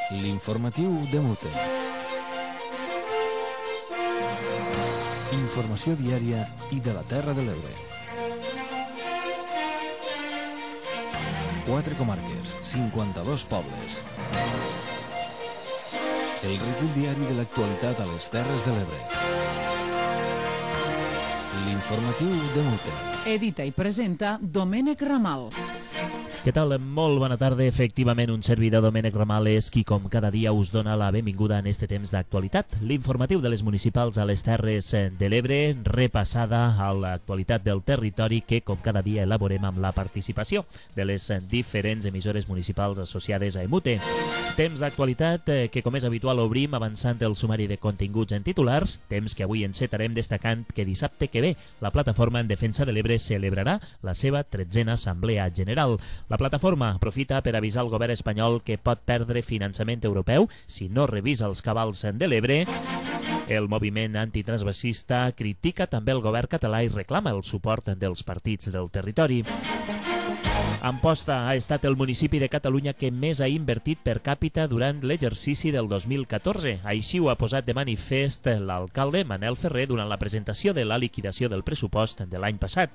L'informatiu de Mute. Informació diària i de la Terra de l'Ebre. 4 comarques, 52 pobles. El recull diari de l'actualitat a les Terres de l'Ebre. L'informatiu de Mute. Edita i presenta Domènec Ramal. Què tal? Molt bona tarda. Efectivament, un servidor, Domènec Ramal, és qui com cada dia us dona la benvinguda en este temps d'actualitat. L'informatiu de les municipals a les Terres de l'Ebre, repassada a l'actualitat del territori que com cada dia elaborem amb la participació de les diferents emissores municipals associades a EMUTE. Temps d'actualitat que, com és habitual, obrim avançant el sumari de continguts en titulars, temps que avui encetarem destacant que dissabte que ve la Plataforma en Defensa de l'Ebre celebrarà la seva 13a Assemblea General. La plataforma aprofita per avisar al govern espanyol que pot perdre finançament europeu si no revisa els cabals de l'Ebre. El moviment antitransvasista critica també el govern català i reclama el suport dels partits del territori. Amposta ha estat el municipi de Catalunya que més ha invertit per càpita durant l'exercici del 2014. Així ho ha posat de manifest l'alcalde Manel Ferrer durant la presentació de la liquidació del pressupost de l'any passat.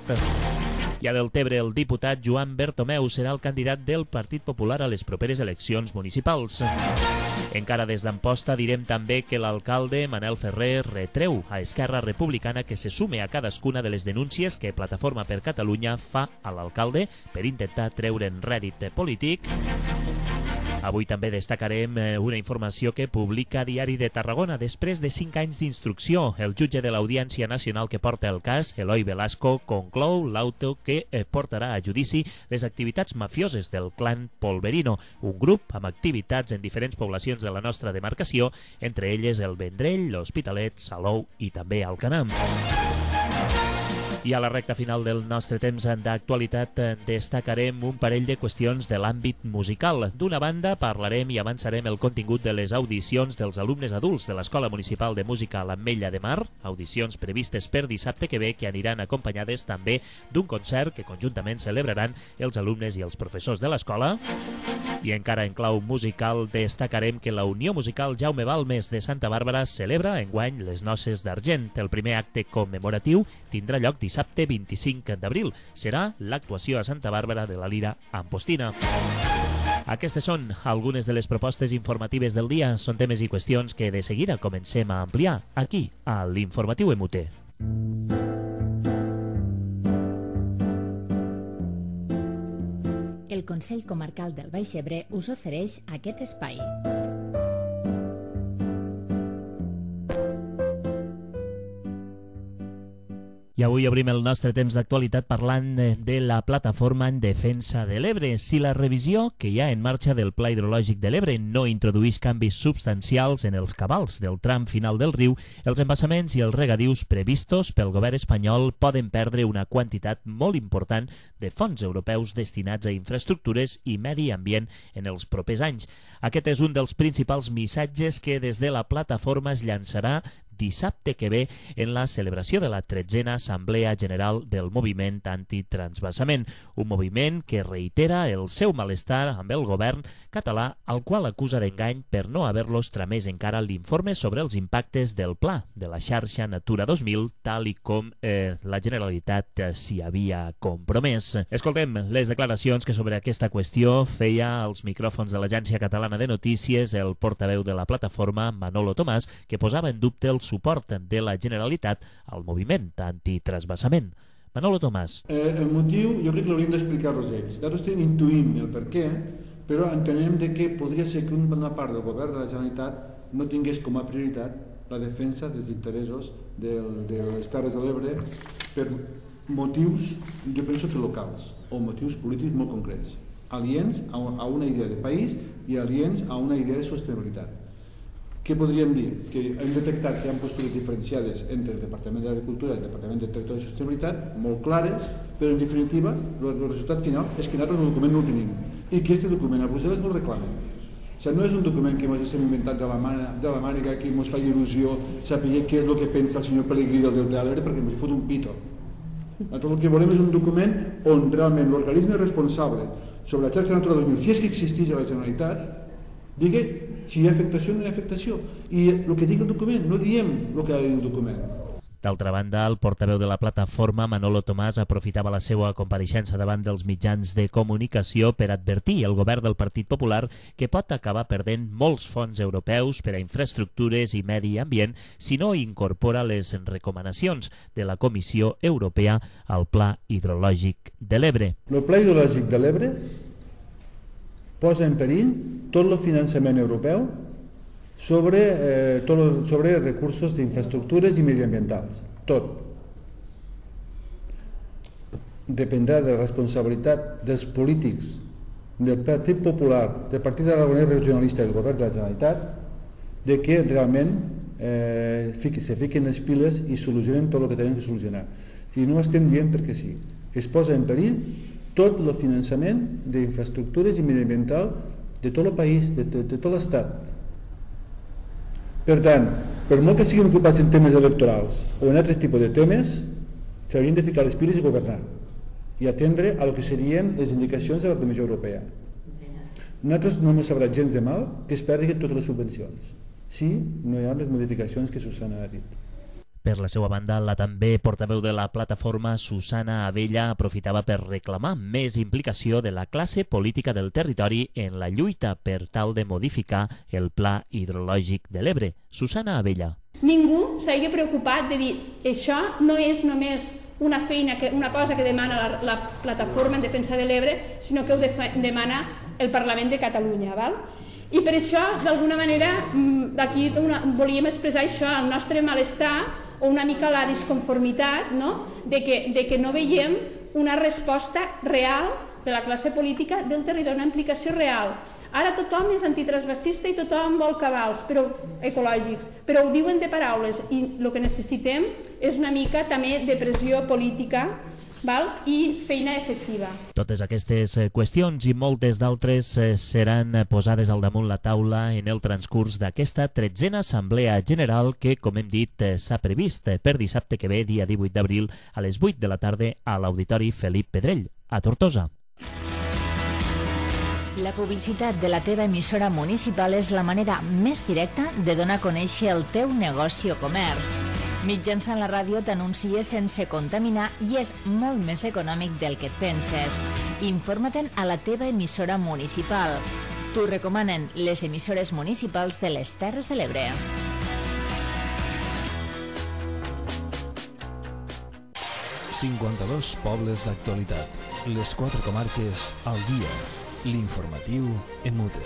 I a Deltebre, el diputat Joan Bertomeu serà el candidat del Partit Popular a les properes eleccions municipals. Encara des d'Amposta direm també que l'alcalde Manel Ferrer retreu a Esquerra Republicana que se sume a cadascuna de les denúncies que Plataforma per Catalunya fa a l'alcalde per intentar treure'n rèdit polític. Avui també destacarem una informació que publica Diari de Tarragona. Després de 5 anys d'instrucció, el jutge de l'Audiència Nacional que porta el cas, Eloi Velasco, conclou l'auto que portarà a judici les activitats mafioses del clan Polverino, un grup amb activitats en diferents poblacions de la nostra demarcació, entre elles el Vendrell, l'Hospitalet, Salou i també Alcanar. I a la recta final del nostre temps d'actualitat destacarem un parell de qüestions de l'àmbit musical. D'una banda, parlarem i avançarem el contingut de les audicions dels alumnes adults de l'Escola Municipal de Música a l'Ametlla de Mar, audicions previstes per dissabte que ve, que aniran acompanyades també d'un concert que conjuntament celebraran els alumnes i els professors de l'escola. I encara en clau musical destacarem que la Unió Musical Jaume Balmes de Santa Bàrbara celebra enguany les Noces d'Argent. El primer acte commemoratiu tindrà lloc dissabte 25 d'abril. Serà l'actuació a Santa Bàrbara de la Lira Ampostina. Aquestes són algunes de les propostes informatives del dia. Són temes i qüestions que de seguida comencem a ampliar aquí, a l'Informatiu EMUTE. El Consell Comarcal del Baix Ebre us ofereix aquest espai. I avui obrim el nostre temps d'actualitat parlant de la Plataforma en Defensa de l'Ebre. Si la revisió que hi ha en marxa del Pla Hidrològic de l'Ebre no introduís canvis substancials en els cabals del tram final del riu, els embassaments i els regadius previstos pel govern espanyol poden perdre una quantitat molt important de fons europeus destinats a infraestructures i medi ambient en els propers anys. Aquest és un dels principals missatges que des de la plataforma es llançarà dissabte que ve en la celebració de la 13a Assemblea General del Moviment Antitransvasament, un moviment que reitera el seu malestar amb el govern català, al qual acusa d'engany per no haver-los tramès encara l'informe sobre els impactes del pla de la xarxa Natura 2000, tal i com la Generalitat s'hi havia compromès. Escoltem les declaracions que sobre aquesta qüestió feia als micròfons de l'Agència Catalana de Notícies el portaveu de la plataforma, Manolo Tomàs, que posava en dubte el suport de la Generalitat al moviment antitransvasament. Manolo Tomàs. El motiu jo crec que l'hauríem d'explicar-los ells. Nosaltres intuïm el per què, però entenem que podria ser que una part del govern de la Generalitat no tingués com a prioritat la defensa dels interessos de les Terres de l'Ebre per motius, jo penso que locals, o motius polítics molt concrets, aliens a una idea de país i aliens a una idea de sostenibilitat. Què podríem dir? Que hem detectat que hi ha postures diferenciades entre el Departament d'Agricultura i el Departament de Territori i Sostenibilitat, molt clares, però en definitiva el resultat final és que nosaltres el document no el tenim i que aquest document a Brussel·les no el reclamen. O sigui, no és un document que ens hem inventat de la màniga, que ens fa il·lusió saber què és el que pensa el senyor Pellegrí del Delta de l'Ebre perquè ens fot un pito. Nosaltres el que volem és un document on realment l'organisme responsable sobre la xarxa Natura 2000, si és que existeix a la Generalitat, Digui si hi ha afectació o no hi ha afectació. I el que digui el document, no diem el que ha de dir el document. D'altra banda, el portaveu de la plataforma, Manolo Tomàs, aprofitava la seva compareixença davant dels mitjans de comunicació per advertir el govern del Partit Popular que pot acabar perdent molts fons europeus per a infraestructures i medi ambient si no incorpora les recomanacions de la Comissió Europea al Pla Hidrològic de l'Ebre. El Pla Hidrològic de l'Ebre posa en perill tot el finançament europeu sobre recursos d'infraestructures i mediambientals. Tot. Dependrà de la responsabilitat dels polítics, del Partit Popular, del Partit Aragonès Regionalista i del Govern de la Generalitat, de que realment se fiquen les piles i solucionen tot el que tenen que solucionar. I no ho estem dient perquè sí. Es posa en perill tot el finançament d'infraestructures i mediambiental de tot el país, de tot l'Estat. Per tant, per molt que siguin ocupats en temes electorals o en altres tipus de temes, s'haurien de ficar les piles i governar i atendre a lo que serien les indicacions de la Comissió Europea. Nosaltres no ens sabrà gens de mal que es perdin totes les subvencions si no hi ha les modificacions que Susana ha dit. Per la seva banda, la també portaveu de la plataforma, Susana Abella, aprofitava per reclamar més implicació de la classe política del territori en la lluita per tal de modificar el Pla Hidrològic de l'Ebre. Susana Abella. Ningú s'hagi preocupat de dir això no és només una feina, una cosa que demana la plataforma en defensa de l'Ebre, sinó que ho demana el Parlament de Catalunya. Val? I per això, d'alguna manera, aquí volíem expressar això, el nostre malestar o una mica la disconformitat, no? de que no veiem una resposta real de la classe política del territori, una implicació real. Ara tothom és antitransvasista i tothom vol cabals ecològics, però ho diuen de paraules i el que necessitem és una mica també de pressió política, val? I feina efectiva. Totes aquestes qüestions i moltes d'altres seran posades al damunt la taula en el transcurs d'aquesta 13a Assemblea General que, com hem dit, s'ha previst per dissabte que ve, dia 18 d'abril, a les 8 de la tarda a l'Auditori Felip Pedrell, a Tortosa. La publicitat de la teva emissora municipal és la manera més directa de donar a conèixer el teu negoci o comerç. Mitjançant la ràdio t'anuncies sense contaminar i és molt més econòmic del que et penses. Informa-te'n a la teva emissora municipal. T'ho recomanen les emissores municipals de les Terres de l'Ebre. ...52 pobles d'actualitat. Les 4 comarques al dia. L'informatiu en Mute.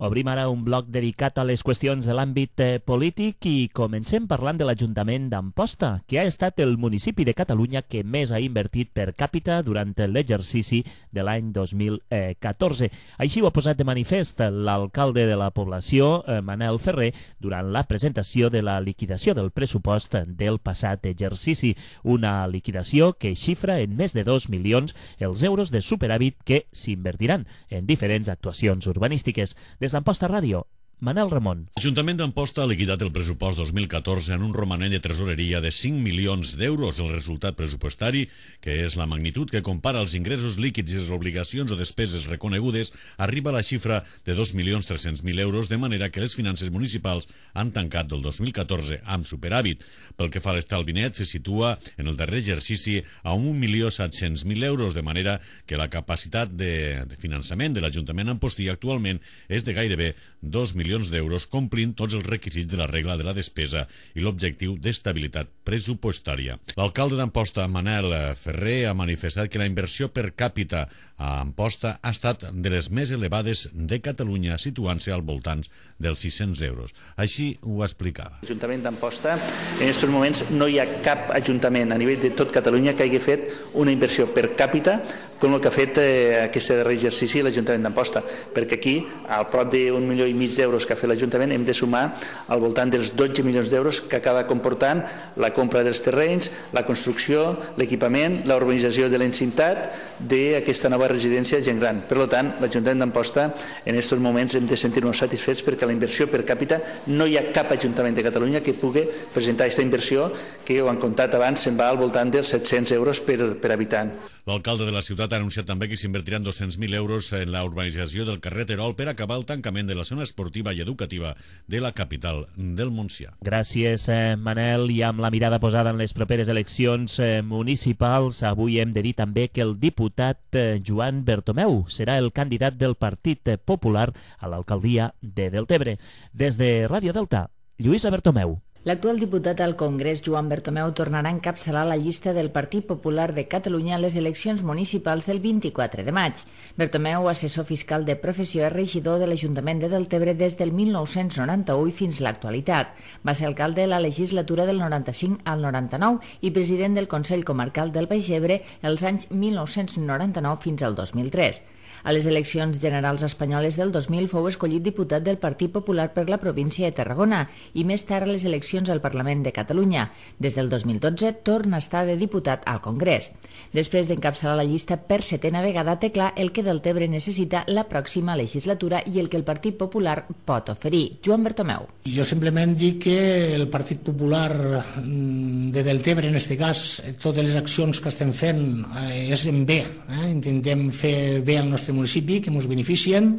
Obrim ara un bloc dedicat a les qüestions de l'àmbit polític i comencem parlant de l'Ajuntament d'Amposta, que ha estat el municipi de Catalunya que més ha invertit per càpita durant l'exercici de l'any 2014. Així ho ha posat de manifest l'alcalde de la població, Manel Ferrer, durant la presentació de la liquidació del pressupost del passat exercici. Una liquidació que xifra en més de 2 milions els euros de superàvit que s'invertiran en diferents actuacions urbanístiques. Des d'Amposta Ràdio, Manel Ramon. L'Ajuntament d'Amposta ha liquidat el pressupost 2014 en un romanent de tresoreria de 5 milions d'euros. El resultat pressupostari, que és la magnitud que compara els ingressos líquids i les obligacions o despeses reconegudes, arriba a la xifra de 2.300.000 euros, de manera que les finances municipals han tancat del 2014 amb superàvit. Pel que fa a l'estalvi net, se situa en el darrer exercici a 1.700.000 euros, de manera que la capacitat de finançament de l'Ajuntament Ampostí actualment és de gairebé 2 milions d'euros, complint tots els requisits de la regla de la despesa i l'objectiu d'estabilitat pressupostària. L'alcalde d'Amposta, Manel Ferrer, ha manifestat que la inversió per càpita a Amposta ha estat de les més elevades de Catalunya, situant-se al voltant dels 600 euros. Així ho explicava. L'Ajuntament d'Amposta, en aquests moments, no hi ha cap ajuntament a nivell de tot Catalunya que hagi fet una inversió per càpita com el que ha fet aquest darrer exercici l'Ajuntament d'Amposta, perquè aquí, al prop d'1,5 milió d'euros que ha fet l'Ajuntament, hem de sumar al voltant dels 12 milions d'euros que acaba comportant la compra dels terrenys, la construcció, l'equipament, la urbanització de l'encintat d'aquesta nova residència gent gran. Per tant, l'Ajuntament d'Amposta en aquests moments hem de sentir-nos satisfets perquè la inversió per càpita no hi ha cap Ajuntament de Catalunya que pugui presentar aquesta inversió que ho han comptat abans, se'n va al voltant dels 700 euros per habitant. L'alcalde de la ciutat ha anunciat també que s'invertiran 200.000 euros en la urbanització del carrer Terol per acabar el tancament de la zona esportiva i educativa de la capital del Montsià. Gràcies, Manel. I amb la mirada posada en les properes eleccions municipals, avui hem de dir també que el diputat Joan Bertomeu serà el candidat del Partit Popular a l'alcaldia de Deltebre. Des de Ràdio Delta, Lluïsa Bertomeu. L'actual diputat al Congrés, Joan Bertomeu, tornarà a encapçalar la llista del Partit Popular de Catalunya a les eleccions municipals del 24 de maig. Bertomeu, assessor fiscal de professió, és regidor de l'Ajuntament de Deltebre des del 1991 fins a l'actualitat. Va ser alcalde de la legislatura del 95 al 99 i president del Consell Comarcal del Baix Ebre els anys 1999 fins al 2003. A les eleccions generals espanyoles del 2000 fou escollit diputat del Partit Popular per la província de Tarragona i més tard a les eleccions al Parlament de Catalunya. Des del 2012 torna a estar de diputat al Congrés. Després d'encapçalar la llista per 7a vegada, té clar el que Deltebre necessita la pròxima legislatura i el que el Partit Popular pot oferir. Joan Bertomeu. Jo simplement dic que el Partit Popular de Deltebre, en aquest cas, totes les accions que estem fent és en bé. Intentem fer bé al nostre municipi, que ens beneficien.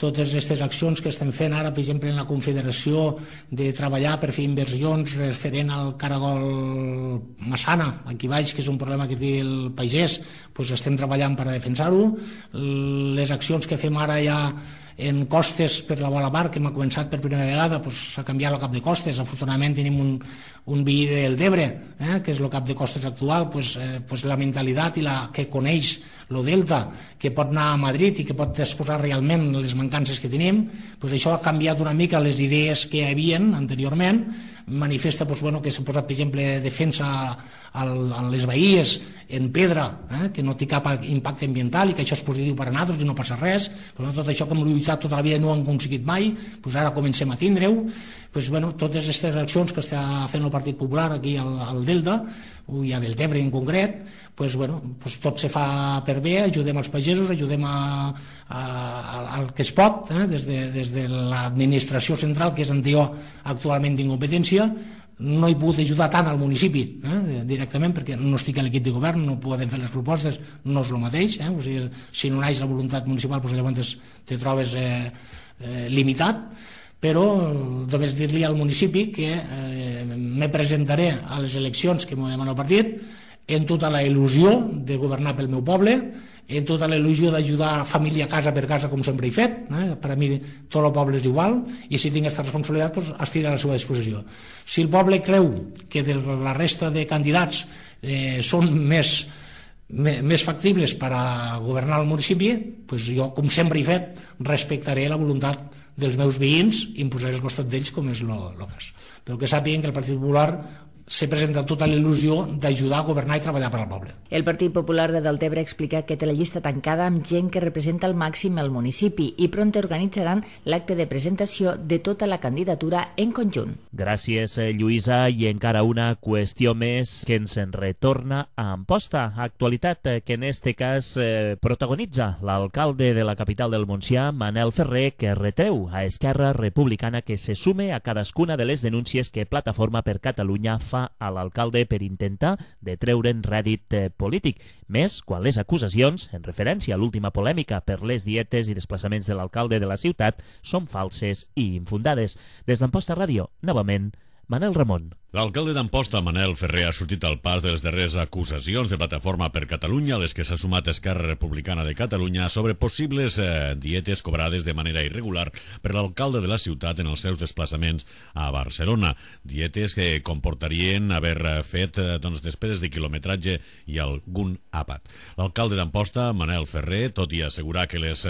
Totes aquestes accions que estem fent ara, per exemple, en la Confederació, de treballar per fer inversions referent al caragol Massana, aquí baix, que és un problema que té el pagès, doncs estem treballant per a defensar-ho. Les accions que fem ara ja en costes per la Bola Bar, que hem començat per primera vegada, s'ha canviat el cap de costes. Afortunadament tenim un veí del Debre, que és el cap de costes actual, la mentalitat i la que coneix el Delta, que pot anar a Madrid i que pot exposar realment les mancances que tenim, això ha canviat una mica les idees que hi havia anteriorment. Manifesta que s'ha posat, per exemple, defensa a les bahies en pedra, que no té cap impacte ambiental i que això és positiu per a nosaltres i no passa res. Tot això que hem lluitat tota la vida no ho hem aconseguit mai, ara comencem a tindre-ho. Totes aquestes accions que està fent el Partit Popular aquí al Delta, i a Deltebre en concret, tot se fa per bé, ajudem els pagesos, ajudem al que es pot, des de l'administració central, que és anterior actualment d'incompetència. No he pogut ajudar tant al municipi directament, perquè no estic a l'equip de govern, no podem fer les propostes, no és el mateix. Si no naix la voluntat municipal, llavors te trobes limitat. Però només dir-li al municipi que me presentaré a les eleccions que m'ho demana el partit en tota la il·lusió de governar pel meu poble, en tota la il·lusió d'ajudar família casa per casa, com sempre he fet. Per a mi tot el poble és igual, i si tinc aquesta responsabilitat estic a la seva disposició. Si el poble creu que de la resta de candidats són més factibles per a governar el municipi, jo, com sempre he fet, respectaré la voluntat dels meus veïns i em posaré al costat d'ells com és el cas. Però que sàpiguen que el Partit Popular se presenta tota la il·lusió d'ajudar a governar i treballar per al poble. El Partit Popular de Deltebre explica que té la llista tancada amb gent que representa al màxim el municipi i prompte organitzaran l'acte de presentació de tota la candidatura en conjunt. Gràcies, Lluïsa. I encara una qüestió més que ens en retorna a Amposta. Actualitat que en este cas protagonitza l'alcalde de la capital del Montsià, Manel Ferrer, que retreu a Esquerra Republicana que se sume a cadascuna de les denúncies que Plataforma per Catalunya fa a l'alcalde per intentar de treure'n rèdit polític, més quan les acusacions, en referència a l'última polèmica per les dietes i desplaçaments de l'alcalde de la ciutat, són falses i infundades. Des d'Amposta Ràdio, novament, Manel Ramon. L'alcalde d'Amposta, Manel Ferrer, ha sortit al pas de les darreres acusacions de Plataforma per Catalunya, a les que s'ha sumat Esquerra Republicana de Catalunya, sobre possibles dietes cobrades de manera irregular per l'alcalde de la ciutat en els seus desplaçaments a Barcelona. Dietes que comportarien haver fet despeses de quilometratge i algun àpat. L'alcalde d'Amposta, Manel Ferrer, tot i assegurar que les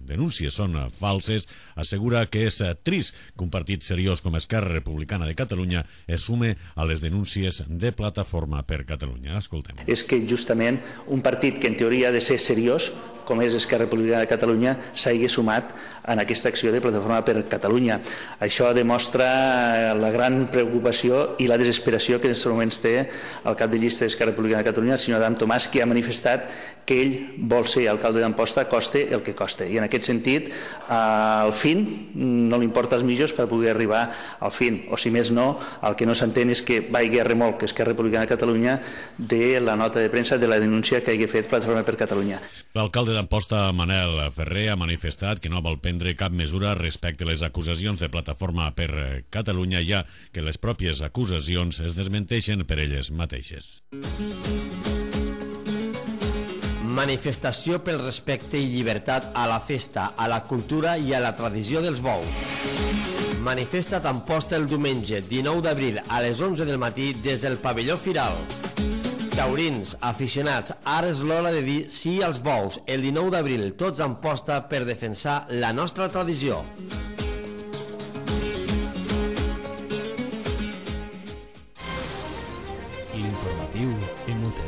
denúncies són falses, assegura que és trist que un partit seriós com Esquerra Republicana de Catalunya es sume a les denúncies de Plataforma per Catalunya. Escoltem. És que justament un partit que en teoria ha de ser seriós, com és Esquerra Republicana de Catalunya, s'hagi sumat en aquesta acció de Plataforma per Catalunya. Això demostra la gran preocupació i la desesperació que en aquests moments té el cap de llista d'Esquerra Republicana de Catalunya, el senyor Adam Tomàs, que ha manifestat que ell vol ser alcalde d'Amposta, coste el que coste. I en aquest sentit, al fin, no li importa els mitjos per poder arribar al fin. O si més no, el que no s'entén és que vagi a remolc Esquerra Republicana de Catalunya de la nota de premsa de la denúncia que hagi fet Plataforma per Catalunya. L'alcalde d'Amposta, Manel Ferrer, ha manifestat que no vol prendre cap mesura respecte a les acusacions de Plataforma per Catalunya, ja que les pròpies acusacions es desmenteixen per elles mateixes. Manifestació pel respecte i llibertat a la festa, a la cultura i a la tradició dels bous. Manifesta Amposta el diumenge 19 d'abril a les 11 del matí des del pavelló Firal. Taurins, aficionats, ara és l'hora de dir sí als bous. El 19 d'abril tots a Amposta per defensar la nostra tradició. L'informatiu MUT.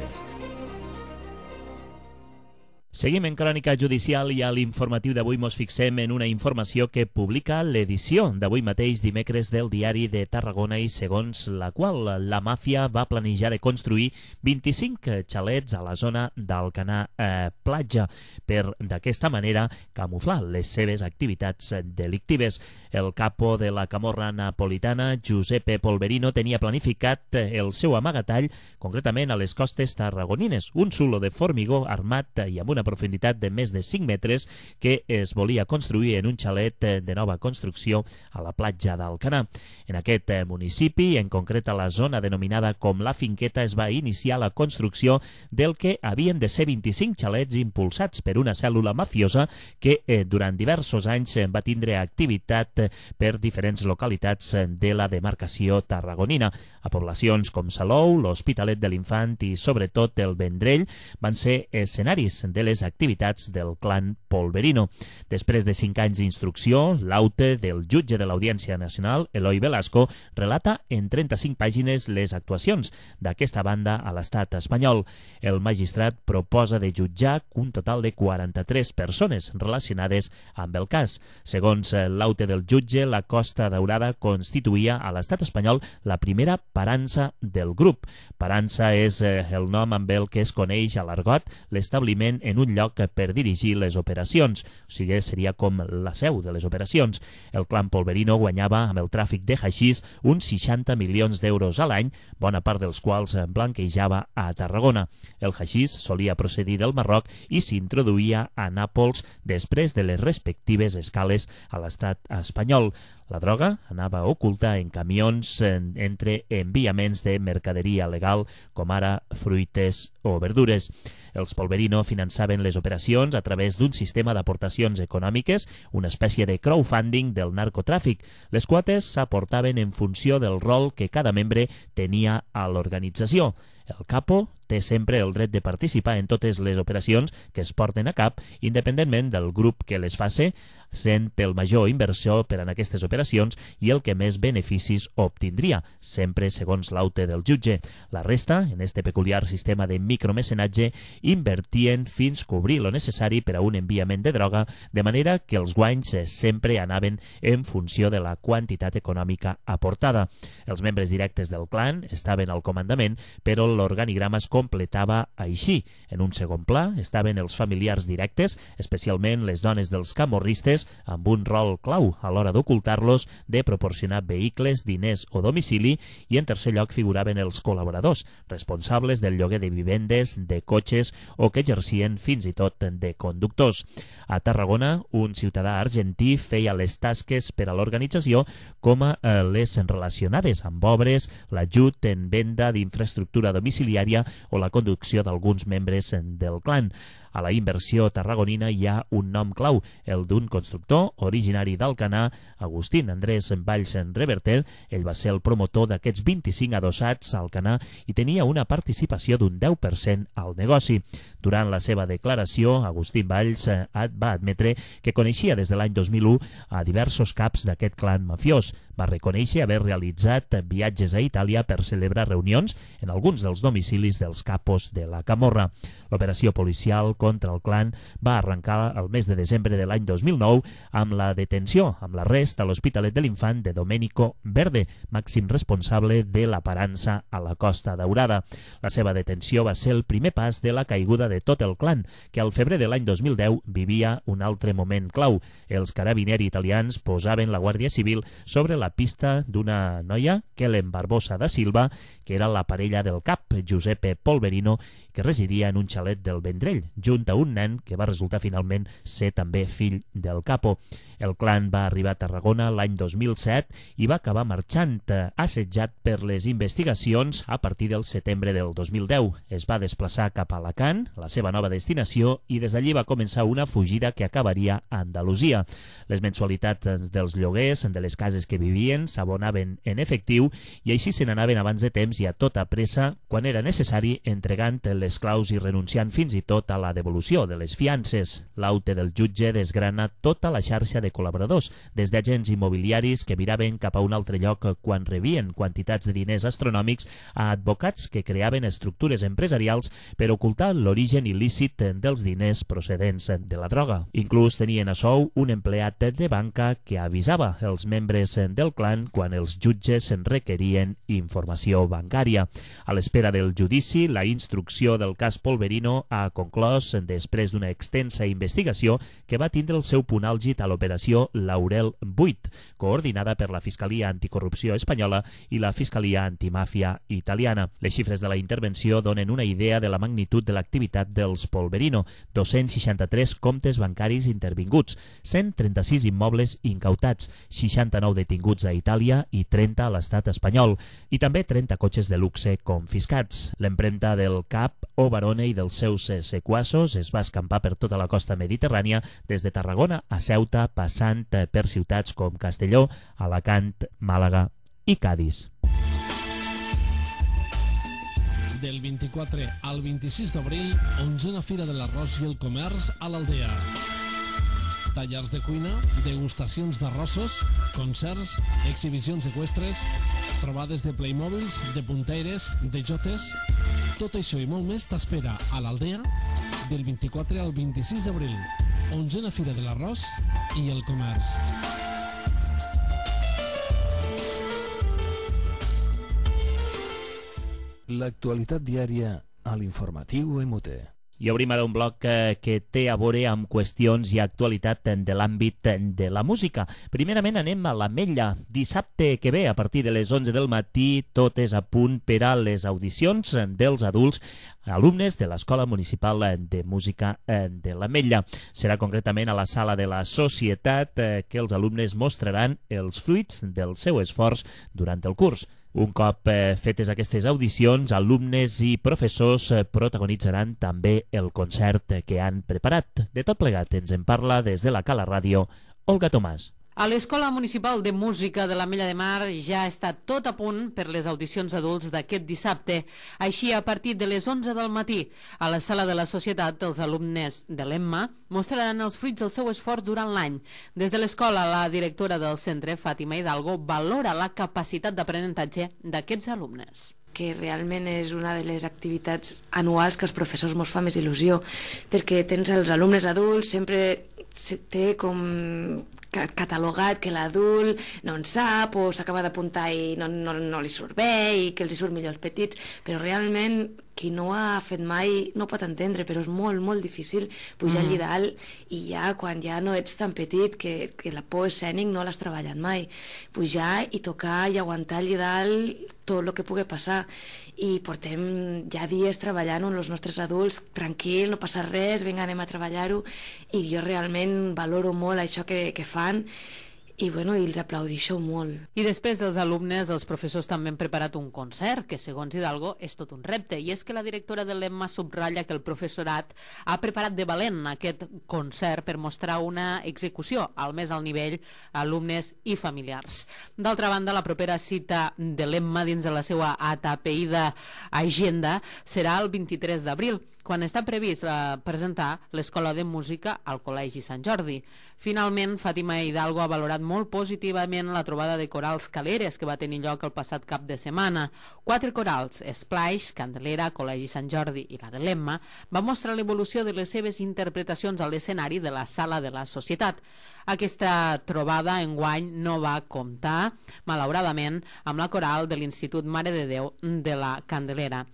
Seguim en Crònica Judicial i a l'informatiu d'avui mos fixem en una informació que publica l'edició d'avui mateix dimecres del Diari de Tarragona i segons la qual la màfia va planejar de construir 25 xalets a la zona d'Alcanar Platja per d'aquesta manera camuflar les seves activitats delictives. El capo de la camorra napolitana, Giuseppe Polverino, tenia planificat el seu amagatall concretament a les costes tarragonines, un zulo de formigó armat i amb una profunditat de més de 5 metres que es volia construir en un xalet de nova construcció a la platja d'Alcanar. En aquest municipi, en concret a la zona denominada com la Finqueta, es va iniciar la construcció del que havien de ser 25 xalets impulsats per una cèl·lula mafiosa que durant diversos anys va tindre activitat per diferents localitats de la demarcació tarragonina. A poblacions com Salou, l'Hospitalet de l'Infant i sobretot el Vendrell van ser escenaris de les activitats del clan Polverino. Després de 5 anys d'instrucció, l'aute del jutge de l'Audiència Nacional, Eloi Velasco, relata en 35 pàgines les actuacions d'aquesta banda a l'estat espanyol. El magistrat proposa de jutjar un total de 43 persones relacionades amb el cas. Segons l'aute del jutge, la Costa Daurada constituïa a l'estat espanyol la primera parança del grup. Parança és el nom amb el que es coneix a l'argot l'establiment en un lloc per dirigir les operacions, o sigui, seria com la seu de les operacions. El clan Polverino guanyava amb el tràfic de haixís uns 60 milions d'euros a l'any, bona part dels quals blanquejava a Tarragona. El haixís solia procedir del Marroc i s'introduïa a Nàpols després de les respectives escales a l'estat espanyol. La droga anava oculta en camions entre enviaments de mercaderia legal, com ara fruites o verdures. Els Polverino finançaven les operacions a través d'un sistema d'aportacions econòmiques, una espècie de crowdfunding del narcotràfic. Les quotes s'aportaven en funció del rol que cada membre tenia a l'organització. El capo té sempre el dret de participar en totes les operacions que es porten a cap, independentment del grup que les faci, sent el major inversor per en aquestes operacions i el que més beneficis obtindria, sempre segons l'aute del jutge. La resta, en este peculiar sistema de micromecenatge, invertien fins cobrir lo necessari per a un enviament de droga, de manera que els guanys sempre anaven en funció de la quantitat econòmica aportada. Els membres directes del clan estaven al comandament, però l'organigrama es completava així. En un segon pla estaven els familiars directes, especialment les dones dels camorristes, amb un rol clau a l'hora d'ocultar-los, de proporcionar vehicles, diners o domicili, i en tercer lloc figuraven els col·laboradors, responsables del lloguer de vivendes, de cotxes o que exercien fins i tot de conductors. A Tarragona, un ciutadà argentí feia les tasques per a l'organització com a les relacionades amb obres, l'ajut en venda d'infraestructura domiciliària o la conducció d'alguns membres del clan. A la inversió tarragonina hi ha un nom clau, el d'un constructor originari d'Alcanar, Agustín Andrés Valls Reverter. Ell va ser el promotor d'aquests 25 adossats a Alcanar i tenia una participació d'un 10% al negoci. Durant la seva declaració, Agustín Valls va admetre que coneixia des de l'any 2001 a diversos caps d'aquest clan mafiós. Va reconèixer haver realitzat viatges a Itàlia per celebrar reunions en alguns dels domicilis dels capos de la Camorra. L'operació policial contra el clan va arrencar el mes de desembre de l'any 2009 amb la detenció, amb l'arrest a l'Hospitalet de l'Infant de Domenico Verde, màxim responsable de la parança a la Costa Daurada. La seva detenció va ser el primer pas de la caiguda de tot el clan, que al febrer de l'any 2010 vivia un altre moment clau. Els carabinieri italians posaven la Guàrdia Civil sobre la pista d'una noia, Kellen Barbosa da Silva, que era la parella del cap, Giuseppe Polverino, que residia en un xalet del Vendrell, junt a un nen que va resultar finalment ser també fill del capo. El clan va arribar a Tarragona l'any 2007 i va acabar marxant, assetjat per les investigacions a partir del setembre del 2010. Es va desplaçar cap a Alacant, la seva nova destinació, i des d'allí va començar una fugida que acabaria a Andalusia. Les mensualitats dels lloguers de les cases que vivien s'abonaven en efectiu i així se n'anaven abans de temps i a tota pressa, quan era necessari, entregant les claus i renunciant fins i tot a la devolució de les fiances. L'aute del jutge desgrana tota la xarxa de col·laboradors, des d'agents immobiliaris que miraven cap a un altre lloc quan rebien quantitats de diners astronòmics, a advocats que creaven estructures empresarials per ocultar l'origen il·lícit dels diners procedents de la droga. Inclús tenien a sou un empleat de banca que avisava els membres del clan quan els jutges en requerien informació bancària. A l'espera del judici, la instrucció del cas Polverino ha conclòs després d'una extensa investigació que va tindre el seu punt àlgid a l'operació Laurel 8, coordinada per la Fiscalia Anticorrupció espanyola i la Fiscalia Antimàfia italiana. Les xifres de la intervenció donen una idea de la magnitud de l'activitat dels Polverino: 263 comptes bancaris intervinguts, 136 immobles incautats, 69 detinguts a Itàlia i 30 a l'estat espanyol, i també 30 cotxes de luxe confiscats. L'empremta del cap o Barone i dels seus sequassos es va escampar per tota la costa mediterrània, des de Tarragona a Ceuta, passant per ciutats com Castelló, Alacant, Màlaga i Cadis. Del 24 al 26 d'abril, 11a Fira de l'Arròs i el Comerç a l'Aldea. Tallers de cuina, degustacions d'arrossos, concerts, exhibicions eqüestres, trobades de Playmobils, de punteires, de jotes... Tot això i molt més t'espera a l'Aldea del 24 al 26 d'abril. 11a Fira de l'Arròs i el Comerç. L'actualitat diària a l'informatiu MUT. I obrim ara un bloc que té a veure amb qüestions i actualitat de l'àmbit de la música. Primerament anem a l'Ametlla. Dissabte que ve, a partir de les 11 del matí, tot és a punt per a les audicions dels adults alumnes de l'Escola Municipal de Música de l'Ametlla. Serà concretament a la Sala de la Societat que els alumnes mostraran els fruits del seu esforç durant el curs. Un cop fetes aquestes audicions, alumnes i professors protagonitzaran també el concert que han preparat. De tot plegat ens en parla des de la Cala Ràdio, Olga Tomàs. A l'Escola Municipal de Música de l'Ametlla de Mar ja està tot a punt per les audicions adults d'aquest dissabte. Així, a partir de les 11 del matí, a la Sala de la Societat, els alumnes de l'EMMA mostraran els fruits del seu esforç durant l'any. Des de l'escola, la directora del centre, Fàtima Hidalgo, valora la capacitat d'aprenentatge d'aquests alumnes. Que realment és una de les activitats anuals que als professors mos fa més il·lusió, perquè tens els alumnes adults, sempre té com catalogat que l'adult no en sap o s'acaba d'apuntar i no li surt bé i que els hi surt millor als petits, però realment qui no ho ha fet mai no ho pot entendre, però és molt, molt difícil pujar allí dalt i ja quan ja no ets tan petit que la por escènic no l'has treballat mai, pujar i tocar i aguantar allí dalt tot el que pugui passar. I portem ja dies treballant amb els nostres adults, tranquil, no passa res, vinga, anem a treballar-ho, i jo realment valoro molt això que fan i els aplaudixo molt. I després dels alumnes, els professors també han preparat un concert, que segons Hidalgo és tot un repte, i és que la directora de l'EMMA subratlla que el professorat ha preparat de valent aquest concert per mostrar una execució al més alt nivell a alumnes i familiars. D'altra banda, la propera cita de l'EMMA dins de la seva atapeïda agenda serà el 23 d'abril, quan està previst presentar l'Escola de Música al Col·legi Sant Jordi. Finalment, Fàtima Hidalgo ha valorat molt positivament la trobada de corals Caleres que va tenir lloc el passat cap de setmana. 4 corals, Splash, Candelera, Col·legi Sant Jordi i la de l'Emma, van mostrar l'evolució de les seves interpretacions a l'escenari de la Sala de la Societat. Aquesta trobada enguany no va comptar, malauradament, amb la coral de l'Institut Mare de Déu de la Candelera.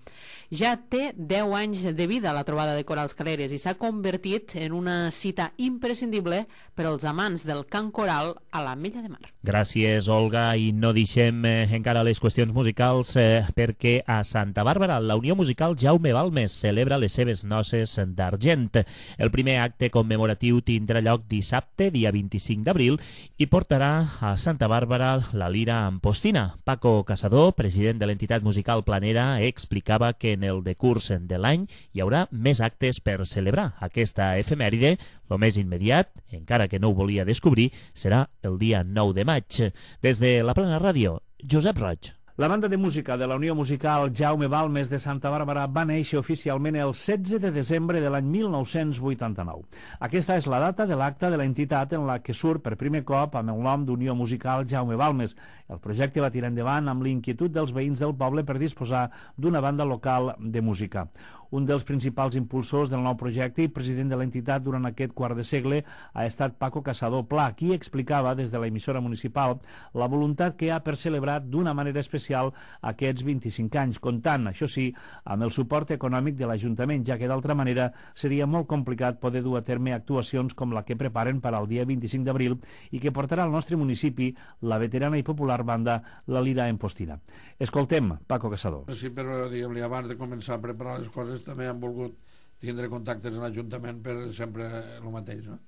Ja té 10 anys de vida la trobada de corals Caleres i s'ha convertit en una cita imprescindible per als amants del cant coral a l'Ametlla de Mar. Gràcies, Olga, i no deixem encara les qüestions musicals perquè a Santa Bàrbara la Unió Musical Jaume Balmes celebra les seves noces d'argent. El primer acte commemoratiu tindrà lloc dissabte, dia 25 d'abril, i portarà a Santa Bàrbara la lira Ampostina. Paco Casador, president de l'entitat musical Planera, explicava que en el decurs de l'any hi haurà més actes per celebrar aquesta efemèride. El més immediat, encara que no ho volia descobrir, serà el dia 9 de maig. Des de la Plana Ràdio, Josep Roig. La banda de música de la Unió Musical Jaume Balmes de Santa Bàrbara va néixer oficialment el 16 de desembre de l'any 1989. Aquesta és la data de l'acte de l'entitat en la que surt per primer cop amb el nom d'Unió Musical Jaume Balmes. El projecte va tirar endavant amb l'inquietud dels veïns del poble per disposar d'una banda local de música. Un dels principals impulsors del nou projecte i president de l'entitat durant aquest quart de segle ha estat Paco Casador Pla, qui explicava des de l'emissora municipal la voluntat que ha per celebrar d'una manera especial aquests 25 anys, comptant, això sí, amb el suport econòmic de l'Ajuntament, ja que d'altra manera seria molt complicat poder dur a terme actuacions com la que preparen per al dia 25 d'abril i que portarà al nostre municipi la veterana i popular banda La Lira Ampostina. Escoltem Paco Casador. Sí, però diguem-li, abans de començar a preparar les coses també han volgut tindre contactes en l'Ajuntament per sempre el mateix, no?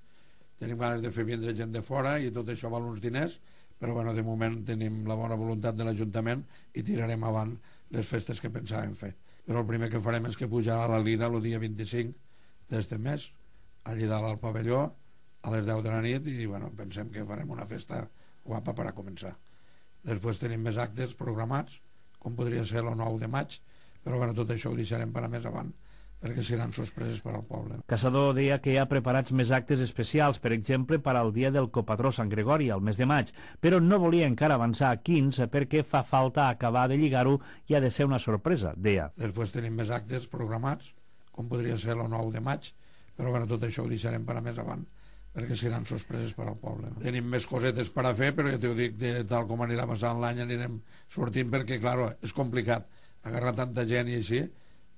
Tenim ganes de fer vindre gent de fora i tot això val uns diners, però bueno, de moment tenim la bona voluntat de l'Ajuntament i tirarem avant les festes que pensàvem fer. Però el primer que farem és que pujarà la Lira el dia 25 d'este mes, allí dalt al pavelló, a les 10 de la nit, i bueno, pensem que farem una festa guapa per a començar. Després tenim més actes programats, com podria ser el 9 de maig, però bueno, tot això ho deixarem per a més avant, perquè seran sorpreses per al poble. Casador deia que hi ha preparats més actes especials, per exemple, per al dia del copatró Sant Gregori, al mes de maig, però no volia encara avançar a quins perquè fa falta acabar de lligar-ho i ha de ser una sorpresa, deia. Després tenim més actes programats, com podria ser el 9 de maig, però bueno, tot això ho deixarem per a més avant, perquè seran sorpreses per al poble. Tenim més cosetes per a fer, però ja t'ho dic, tal com anirà passant l'any anirem sortint, perquè, clar, és complicat agarrar tanta gent i així,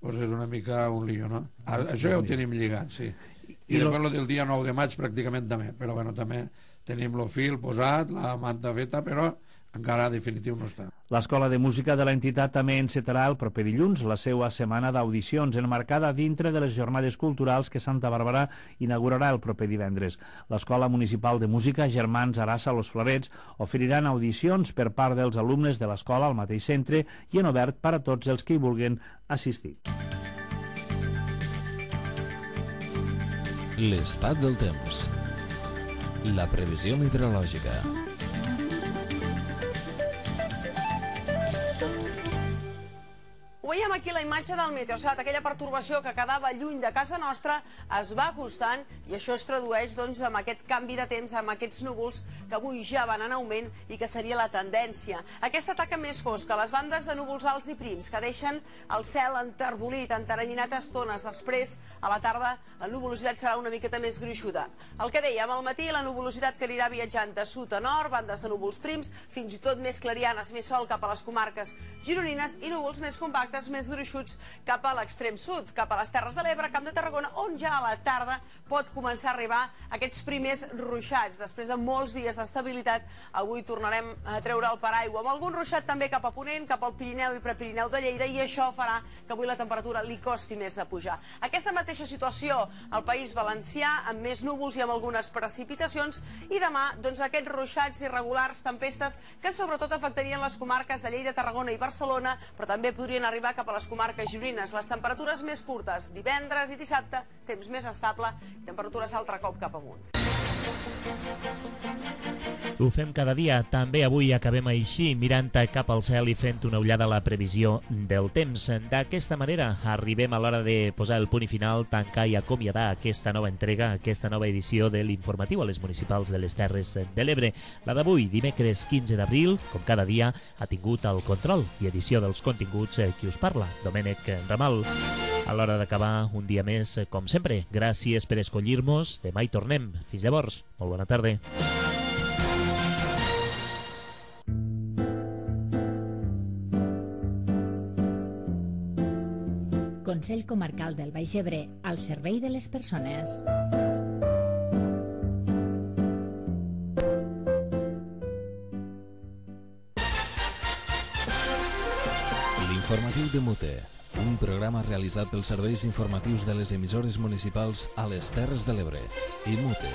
doncs és una mica un lío, no? Això ja ho tenim lligat, sí. I després el dia 9 de maig pràcticament també, però bueno, també tenim el fil posat, la manta feta, però encara definitiu no està. L'Escola de Música de l'entitat també encetarà el proper dilluns la seva setmana d'audicions, enmarcada dintre de les jornades culturals que Santa Bàrbara inaugurarà el proper divendres. L'Escola Municipal de Música Germans Arassa Los Florets oferiran audicions per part dels alumnes de l'escola al mateix centre i en obert per a tots els que hi vulguin assistir. L'estat del temps. La previsió meteorològica. Ho veiem aquí la imatge del Meteosat, aquella pertorbació que quedava lluny de casa nostra es va acostant i això es tradueix doncs amb aquest canvi de temps, amb aquests núvols que avui ja van en augment i que seria la tendència. Aquesta taca més fosca, les bandes de núvols alts i prims que deixen el cel enterbolit, enteranyinat a estones. Després, a la tarda, la nuvolositat serà una miqueta més gruixuda. El que dèiem, al matí la nuvolositat que anirà viatjant de sud a nord, bandes de núvols prims, fins i tot més clarianes, més sol cap a les comarques gironines i núvols més compactes, més gruixuts cap a l'extrem sud, cap a les Terres de l'Ebre, Camp de Tarragona, on ja a la tarda pot començar a arribar aquests primers ruixats. Després de molts dies d'estabilitat, avui tornarem a treure el paraigua, amb algun ruixat també cap a Ponent, cap al Pirineu i Prepirineu de Lleida, i això farà que avui la temperatura li costi més de pujar. Aquesta mateixa situació al País Valencià, amb més núvols i amb algunes precipitacions, i demà, doncs, aquests ruixats irregulars, tempestes, que sobretot afectarien les comarques de Lleida, Tarragona i Barcelona, però també podrien arribar cap a les comarques gironines. Les temperatures més curtes, divendres i dissabte, temps més estable i temperatures altre cop cap amunt. Ho fem cada dia, també avui acabem així, mirant cap al cel i fent una ullada a la previsió del temps. D'aquesta manera arribem a l'hora de posar el punt i final, tancar i acomiadar aquesta nova entrega, aquesta nova edició de l'informatiu a les municipals de les Terres de l'Ebre. La d'avui, dimecres 15 d'abril, com cada dia, ha tingut el control i edició dels continguts qui us parla, Domènec Ramal. A l'hora d'acabar un dia més, com sempre, gràcies per escollir-nos. Demà hi tornem. Fins llavors, molt bona tarda. Consell Comarcal del Baix Ebre, al servei de les persones. L'informatiu de Mute, un programa realitzat pels serveis informatius de les emissores municipals a les Terres de l'Ebre i Mute.